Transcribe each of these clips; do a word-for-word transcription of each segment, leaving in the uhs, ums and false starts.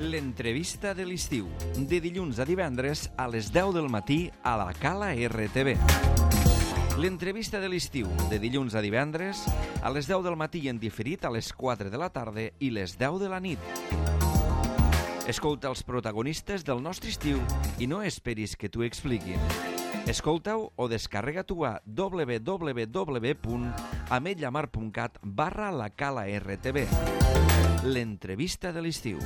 L'entrevista de l'estiu, de dilluns a divendres a les deu del matí a la Cala R T V. L'entrevista de l'estiu, de dilluns a divendres a les deu del matí i en diferit a les quatre de la tarda i les deu de la nit. Escolta els protagonistes del nostre estiu i no esperis que t'ho expliquin. Escolta-ho o descarrega-t'ho a w w w punt ametlllamar punt cat barra la Cala R T V. L'entrevista de l'estiu.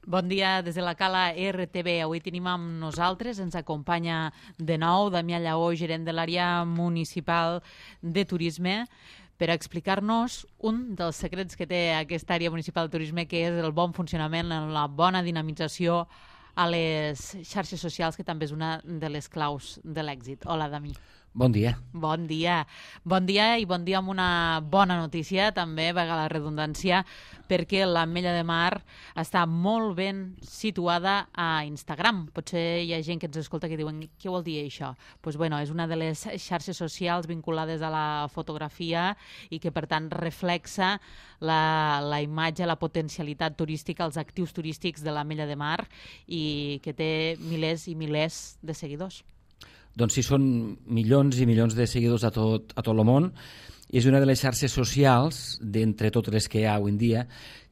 Bon dia des de la Cala R T V. Avui tenim amb nosaltres, ens acompanya de nou Damià Lleó, gerent de l'àrea municipal de turisme, per explicar-nos un dels secrets que té aquesta àrea municipal de turisme, que és el bon funcionament, la bona dinamització a les xarxes socials, que també és una de les claus de l'èxit. Hola, Dami. Bon dia. Bon dia. Bon dia i bon dia amb una bona notícia, també, valga la redundància, perquè l'Ametlla de Mar està molt ben situada a Instagram. Potser hi ha gent que ens escolta que diuen què vol dir això? Pues, bueno, és una de les xarxes socials vinculades a la fotografia i que, per tant, reflexa la, la imatge, la potencialitat turística, els actius turístics de l'Ametlla de Mar i que té milers i milers de seguidors. Doncs sí, són milions i milions de seguidors a tot, a tot el món. És una de les xarxes socials, d'entre totes les que hi ha avui en dia,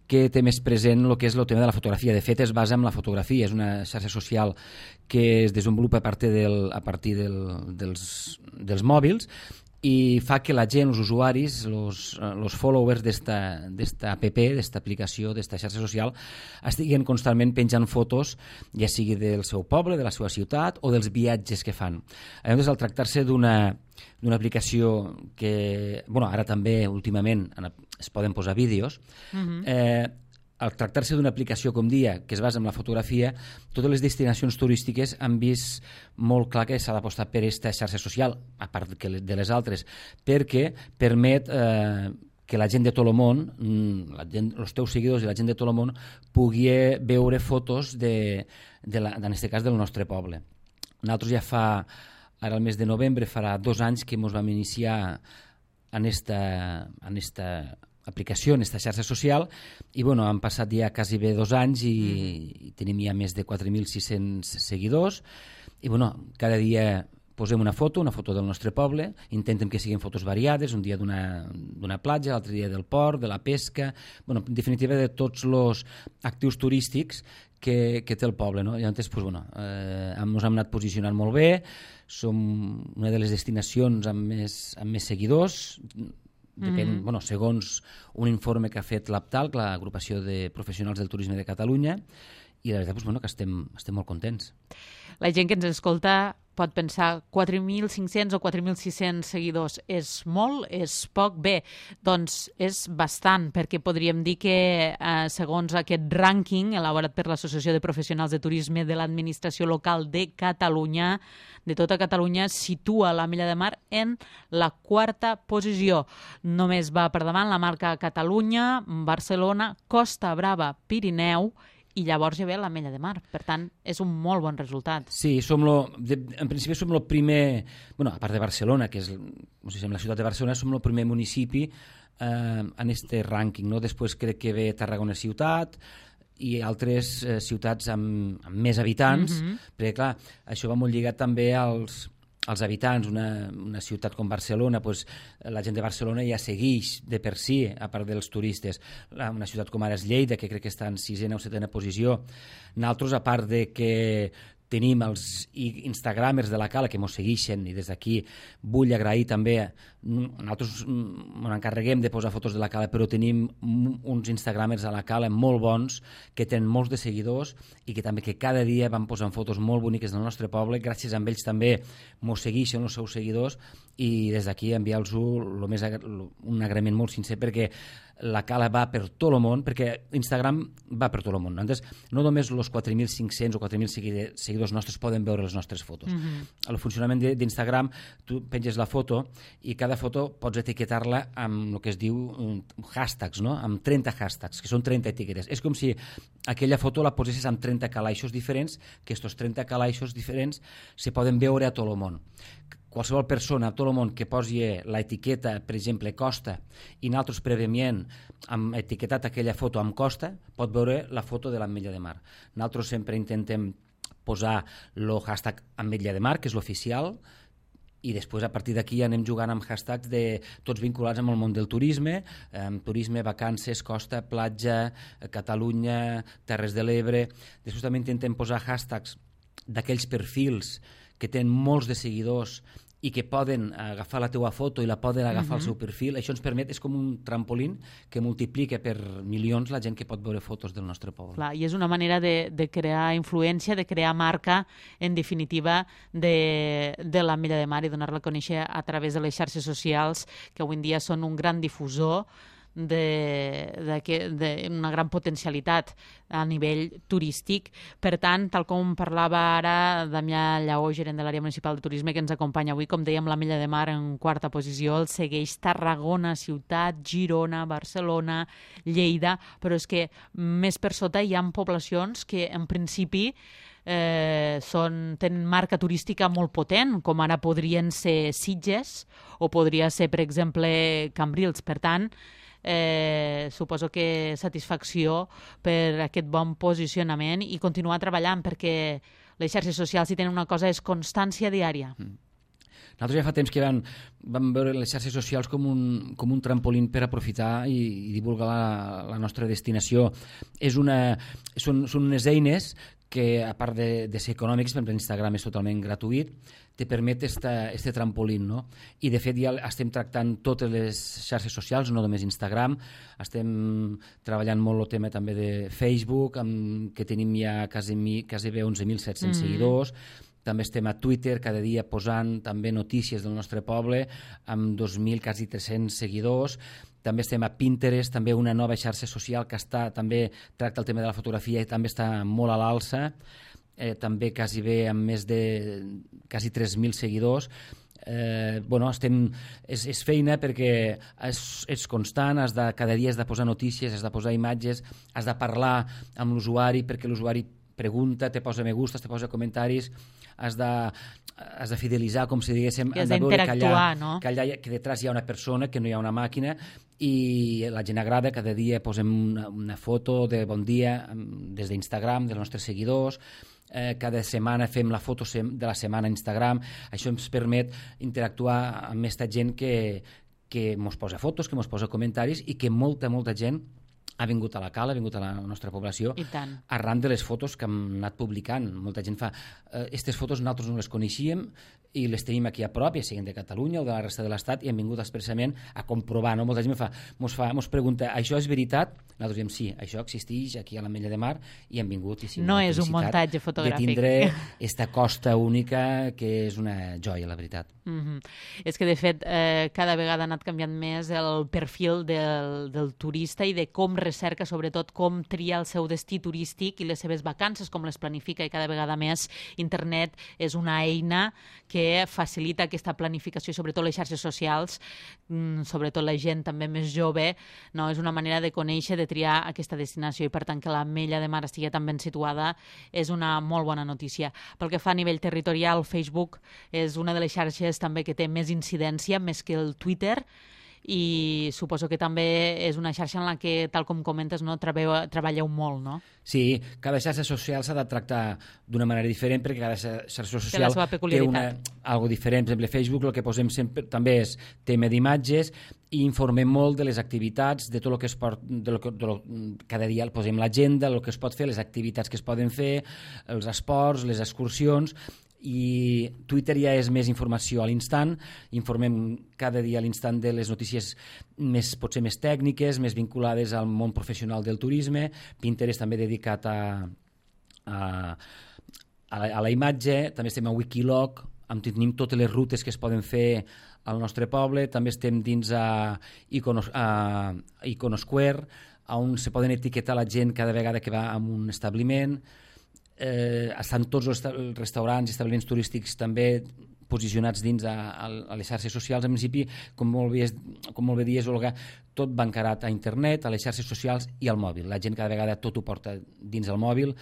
que té més present el que és el tema de la fotografia. De fet, es basa en la fotografia. És una xarxa social que es desenvolupa a partir, del, a partir del, dels, dels mòbils i fa que la gent, els usuaris, els followers d'esta app, d'esta aplicació, d'esta xarxa social, estiguin constantment penjant fotos, ja sigui del seu poble, de la seva ciutat o dels viatges que fan. Llavors, al tractar-se d'una d'una aplicació que, bueno, ara també últimament es poden posar vídeos, uh-huh. eh, al tractar-se d'una aplicació, com dia, que es basa en la fotografia, totes les destinacions turístiques han vist molt clar que s'ha d'apostar per aquesta xarxa social, a part de les altres, perquè permet eh, que la gent de tot el món, la gent, els teus seguidors i la gent de tot el món, pugui veure fotos, de, de la, en aquest cas, del nostre poble. Nosaltres ja fa, ara el mes de novembre, farà dos anys que ens vam iniciar en esta, en esta aplicació, en aquesta xarxa social, i bueno, han passat ja quasi bé dos anys i, mm. i tenim ja més de quatre mil sis-cents seguidors, i bueno, cada dia posem una foto, una foto del nostre poble, intentem que siguin fotos variades, un dia d'una platja, l'altre dia del port, de la pesca, bueno, en definitiva de tots els actius turístics que, que té el poble, no? Llavors, pues, bueno, eh, ens hem anat posicionant molt bé, som una de les destinacions amb més, amb més seguidors. Depèn, mm-hmm. bueno, segons un informe que ha fet l'Aptal, l'agrupació de professionals del turisme de Catalunya, i la veritat, doncs, bueno, que estem, estem molt contents. La gent que ens escolta pot pensar quatre mil cinc-cents o quatre mil sis-cents seguidors. És molt? És poc? Bé, doncs és bastant, perquè podríem dir que eh, segons aquest rànquing elaborat per l'Associació de Professionals de Turisme de l'Administració Local de Catalunya, de tota Catalunya, situa l'Ametlla de Mar en la quarta posició. Només va per davant la marca Catalunya, Barcelona, Costa Brava, Pirineu, i llavors ja ve l'Ametlla de Mar. Per tant, és un molt bon resultat. Sí, som lo, de, en principi som el primer, bueno, a part de Barcelona, que és, no sé si en la ciutat de Barcelona, som el primer municipi eh, en este rànquing, no? Després crec que ve Tarragona ciutat i altres eh, ciutats amb, amb més habitants, mm-hmm. perquè clar, això va molt lligat també als els habitants. Una, una ciutat com Barcelona, pues, la gent de Barcelona ja segueix de per si, a part dels turistes. Una ciutat com ara és Lleida, que crec que està en sisena o setena posició. Nosaltres, a part de que tenim els instagramers de la Cala que ens segueixen, i des d'aquí vull agrair també, nosaltres ens encarreguem de posar fotos de la Cala, però tenim uns instagramers a la Cala molt bons, que tenen molts de seguidors i que també que cada dia van posant fotos molt boniques del nostre poble. Gràcies a ells també ens segueixen els seus seguidors, i des d'aquí enviar-los un agraïment molt sincer, perquè la Cala va per tot el món, perquè Instagram va per tot el món. Entonces, no només els quatre mil cinc-cents o quatre mil seguidors nostres poden veure les nostres fotos. Mm-hmm. El funcionament d'Instagram, tu penges la foto i cada foto pots etiquetar-la amb el que es diu hashtags, no? Amb trenta hashtags, que són trenta etiquetes. És com si aquella foto la posessis amb trenta calaixos diferents, que aquests trenta calaixos diferents se poden veure a tot el món. qualsevol persona a tot el món que posi l'etiqueta, per exemple, Costa, i nosaltres prèviament hem etiquetat aquella foto amb Costa, pot veure la foto de l'Ametlla de Mar. Nosaltres sempre intentem posar el hashtag Ametlla de Mar, que és l'oficial, i després a partir d'aquí anem jugant amb hashtags de tots vinculats amb el món del turisme, amb turisme, vacances, costa, platja, Catalunya, Terres de l'Ebre. Després també intentem posar hashtags d'aquells perfils que tenen molts de seguidors i que poden agafar la teua foto i la poden agafar uh-huh. al seu perfil. Això ens permet, és com un trampolín que multiplica per milions la gent que pot veure fotos del nostre poble. Clar, i és una manera de, de crear influència, de crear marca, en definitiva, de, de l'Ametlla de Mar i donar-la a conèixer a través de les xarxes socials, que avui en dia són un gran difusor d'una gran potencialitat a nivell turístic. Per tant, tal com parlava ara Damià Lleó, gerent de l'àrea municipal de turisme, que ens acompanya avui, com dèiem, l'Ametlla de Mar en quarta posició, el segueix Tarragona, Ciutat, Girona, Barcelona, Lleida, però és que més per sota hi ha poblacions que en principi Eh, són, tenen marca turística molt potent, com ara podrien ser Sitges o podria ser, per exemple, Cambrils. Per tant, eh, suposo que satisfacció per aquest bon posicionament i continuar treballant, perquè les xarxes socials, si tenen una cosa, és constància diària. Mm. Nosaltres ja fa temps que vam, vam veure les xarxes socials com un, com un trampolín per aprofitar i, i divulgar la, la nostra destinació. És una, són, són unes eines que, a part de, de ser econòmics, per exemple, Instagram és totalment gratuït, te permet este trampolín, no? I, de fet, ja estem tractant totes les xarxes socials, no només Instagram, estem treballant molt el tema també de Facebook, amb, que tenim ja quasi, quasi bé onze mil set-cents mm. seguidors. També estem a Twitter cada dia posant també notícies del nostre poble amb dos mil, quasi tres-cents seguidors. També estem a Pinterest, també una nova xarxa social que està, també tracta el tema de la fotografia i també està molt a l'alça, eh, també quasi bé amb més de quasi tres mil seguidors. Eh, bueno, estem, és, és feina perquè és, és constant, has de, cada dia has de posar notícies, has de posar imatges, has de parlar amb l'usuari perquè l'usuari pregunta, te posa me gustes, te posa comentaris, has de, has de fidelitzar, com si diguéssim, has d'interactuar, no? Que allà, que detrás hi ha una persona, que no hi ha una màquina, i la gent agrada, cada dia posem una, una foto de bon dia des d'Instagram, dels nostres seguidors, eh, cada setmana fem la foto de la setmana a Instagram. Això ens permet interactuar amb aquesta gent que, que mos posa fotos, que mos posa comentaris i que molta, molta gent ha vingut a la cala, ha vingut a la nostra població arran de les fotos que hem anat publicant. Molta gent fa, aquestes eh, fotos nosaltres no les coneixíem i les tenim aquí a prop, ja siguin de Catalunya o de la resta de l'Estat, i hem vingut expressament a comprovar. No? Molta gent fa, mos, fa, mos pregunta, això és veritat? Nosaltres diem, sí, això existeix aquí a l'Ametlla de Mar, i hem vingut. I sí, no és un muntatge fotogràfic. De tindre aquesta costa única, que és una joia, la veritat. Mm-hmm. És que, de fet, eh, cada vegada ha anat canviant més el perfil del, del turista i de com recerca, sobretot com tria el seu destí turístic i les seves vacances, com les planifica, i cada vegada més internet és una eina que facilita aquesta planificació, sobretot les xarxes socials, sobretot la gent també més jove, no? És una manera de conèixer, de triar aquesta destinació, i per tant que l'Ametlla de Mar estigui tan ben situada és una molt bona notícia. Pel que fa a nivell territorial, Facebook és una de les xarxes també que té més incidència, més que el Twitter, i suposo que també és una xarxa en la que, tal com comentes, no, treballeu, treballeu molt, no? Sí, cada xarxa social s'ha de tractar d'una manera diferent, perquè cada xarxa social té una, algo diferent. Per exemple, Facebook el que posem sempre també és tema d'imatges i informem molt de les activitats, de tot el que es pot, de lo que, de lo, cada dia posem l'agenda, el que es pot fer, les activitats que es poden fer, els esports, les excursions. I Twitter ja és més informació a l'instant, informem cada dia a l'instant de les notícies més, potser més tècniques, més vinculades al món professional del turisme. Pinterest també dedicat a, a, a, la, a la imatge, també estem a Wikiloc, on tenim totes les rutes que es poden fer al nostre poble, també estem dins a, Iconos, a Iconosquare, on se poden etiquetar la gent cada vegada que va a un establiment. Eh, estan tots els restaurants i establiments turístics també posicionats dins a, a les xarxes socials. En principi, com molt bé, com molt bé dies, Olga, tot va encarat a internet, a les xarxes socials i al mòbil. La gent cada vegada tot ho porta dins el mòbil,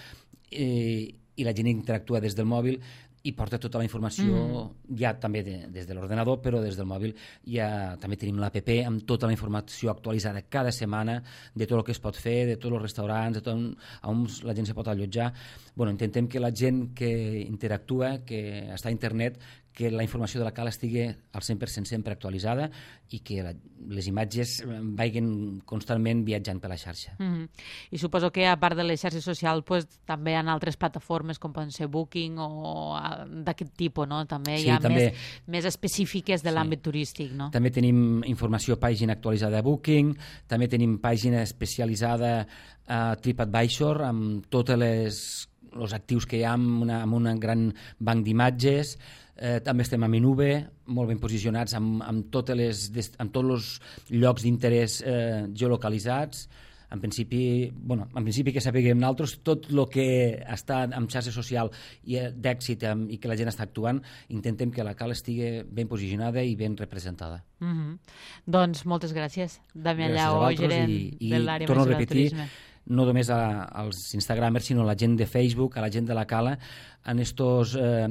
eh, i la gent interactua des del mòbil, i porta tota la informació mm. ja també de, des de l'ordenador, però des del mòbil ja també tenim l'app amb tota la informació actualitzada cada setmana de tot el que es pot fer, de tots els restaurants, de tot on, on la gent se pot allotjar. Bueno, intentem que la gent que interactua, que està a internet, que la informació de la cala estigui al cent per cent sempre actualitzada i que la, les imatges vagin constantment viatjant per la xarxa. Mm-hmm. I suposo que a part de les xarxes socials pues, també hi ha altres plataformes com poden ser Booking o d'aquest tipus, no? També sí, hi ha també, més, més específiques de l'àmbit sí. turístic, no? També tenim informació, pàgina actualitzada a Booking, també tenim pàgina especialitzada a TripAdvisor amb tots els actius que hi ha amb, una, amb un gran banc d'imatges. Eh, també estem a Minube, molt ben posicionats amb, amb, totes les, amb tots els llocs d'interès eh, geolocalitzats. En principi, bueno, en principi que sapiguem nosaltres tot el que està en xarxa social i d'èxit i que la gent està actuant, intentem que la cala estigui ben posicionada i ben representada. Mm-hmm. Doncs moltes gràcies, Damià Llau, gerent i, i de l'àrea torno a mesura del repetir, turisme. No només a, als instagramers, sinó a la gent de Facebook, a la gent de la cala, en estos eh,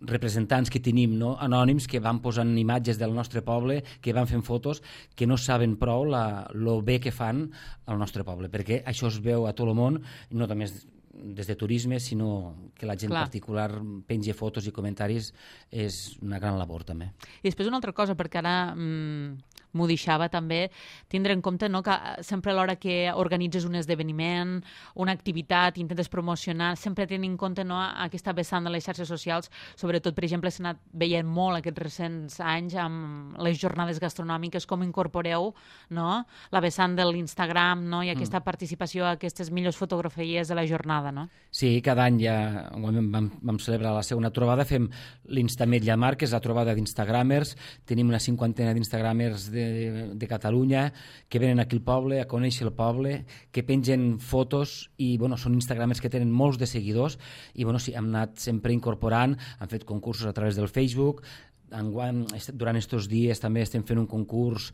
representants que tenim, no? Anònims, que van posant imatges del nostre poble, que van fent fotos, que no saben prou la, lo bé que fan al nostre poble, perquè això es veu a tot el món, no només des de turisme, sinó que la gent Clar. particular pengi fotos i comentaris, és una gran labor també. I després una altra cosa, perquè ara mmm, m'ho deixava també, tindre en compte, no, que sempre a l'hora que organitzes un esdeveniment, una activitat, intentes promocionar, sempre tenint en compte, no, aquesta vessant de les xarxes socials, sobretot, per exemple, s'ha anat veient molt aquests recents anys amb les jornades gastronòmiques, com incorporeu, no, la vessant de l'Instagram, no, i aquesta mm. participació a aquestes millors fotografies de la jornada, no? Sí, cada any ja vam, vam celebrar la segona trobada, fem l'Instametlla Mar, que és la trobada d'Instagramers, tenim una cinquantena d'Instagramers de, de, de Catalunya que venen aquí al poble, a conèixer el poble, que pengen fotos i bueno, són Instagramers que tenen molts de seguidors i bueno, sí, hem anat sempre incorporant, han fet concursos a través del Facebook. Enguany, durant aquests dies també estem fent un concurs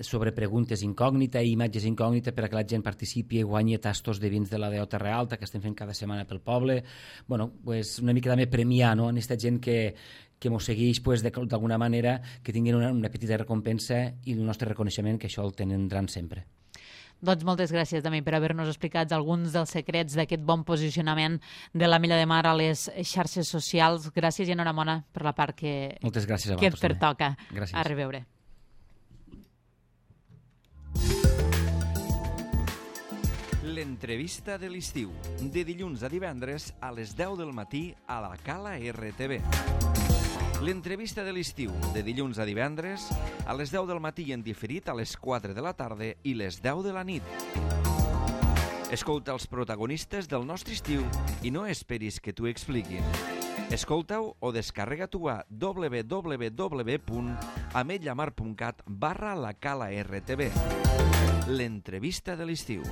sobre preguntes incògnita i imatges incògnita per a que la gent participi i guanyi tastos de vins de la D O Terra Alta que estem fent cada setmana pel poble. Bueno, pues una mica també premiar, no?, en aquesta gent que, que mos segueix pues, d'alguna manera, que tinguin una, una petita recompensa i el nostre reconeixement, que això el tindran sempre. Doncs moltes gràcies també per haver-nos explicat alguns dels secrets d'aquest bon posicionament de l'Ametlla de Mar a les xarxes socials. Gràcies i enhorabona per la part que, moltes gràcies a que et pertoca. Gràcies. A reveure. L'entrevista de l'estiu, de dilluns a divendres a les deu del matí a la Cala R T V. L'entrevista de l'estiu, de dilluns a divendres, a les deu del matí en diferit a les quatre de la tarda i les deu de la nit. Escolta els protagonistes del nostre estiu i no esperis que t'ho expliquin. Escolta-ho o descarrega-t'ho a w w w punt ametlla mar punt cat barra la cala R T V. L'entrevista de l'estiu.